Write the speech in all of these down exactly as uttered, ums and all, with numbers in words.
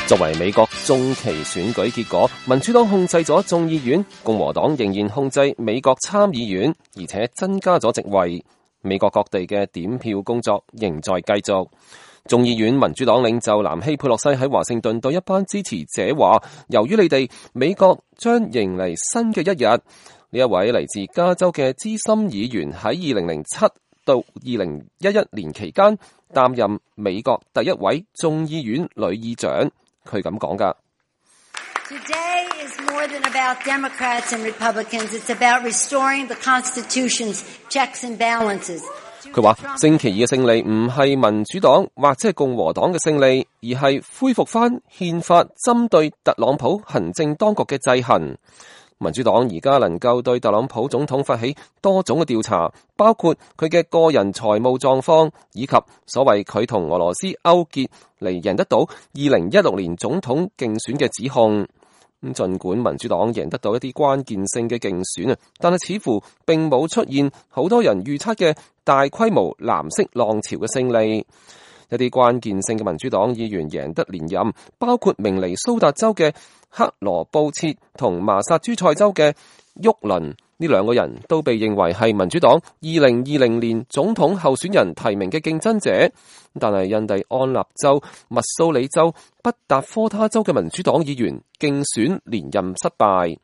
作為美國中期選舉結果，民主黨控制咗眾議院，共和黨仍然控制美國參議院，而且增加咗席位。美國各地嘅點票工作仍在繼續。眾議院民主黨領袖南希佩洛西喺華盛頓對一班支持者話，由於你哋，美國將迎嚟新嘅一日。呢一位嚟自加州嘅資深議員喺二零零七到二零一一年期間擔任美國第一位眾議院女議長，佢咁講㗎。Today is more than about Democrats and Republicans. It's about restoring the Constitution's checks and balances. 佢話星期二嘅勝利唔係民主黨或者係共和黨嘅勝利，而係恢復翻憲法針對特朗普行政當局嘅制衡。民主黨而家能夠對特朗普總統發起多種嘅調查，包括佢嘅個人財務狀況，以及所謂佢同俄羅斯勾結嚟贏得到二零一六年總統競選嘅指控。咁儘管民主黨贏得到一啲關鍵性嘅競選啊，但係似乎並冇出現好多人預測嘅大規模藍色浪潮嘅勝利。一啲關鍵性嘅民主黨議員贏得連任，包括明尼蘇達州嘅克羅布切同麻薩諸塞州嘅沃倫，呢兩個人都被認為係民主黨二零二零年總統候選人提名嘅競爭者。但係印第安納州、密蘇里州、北達科他州嘅民主黨議員競選連任失敗。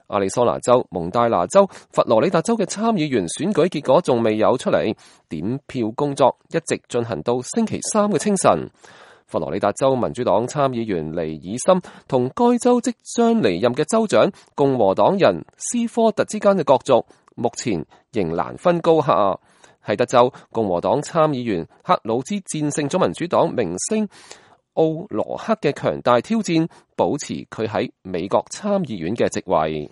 亞利桑那州、蒙大拿州、佛羅里達州嘅參議員選舉結果仲未有出嚟，點票工作一直進行到星期三嘅清晨。佛羅里達州民主黨參議員尼爾森同該州即將離任嘅州長共和黨人斯科特之間嘅角逐，目前仍難分高下。喺德州，共和黨參議員克魯茲戰勝咗民主黨明星奧羅克嘅強大挑戰，保持佢喺美國參議院嘅席位。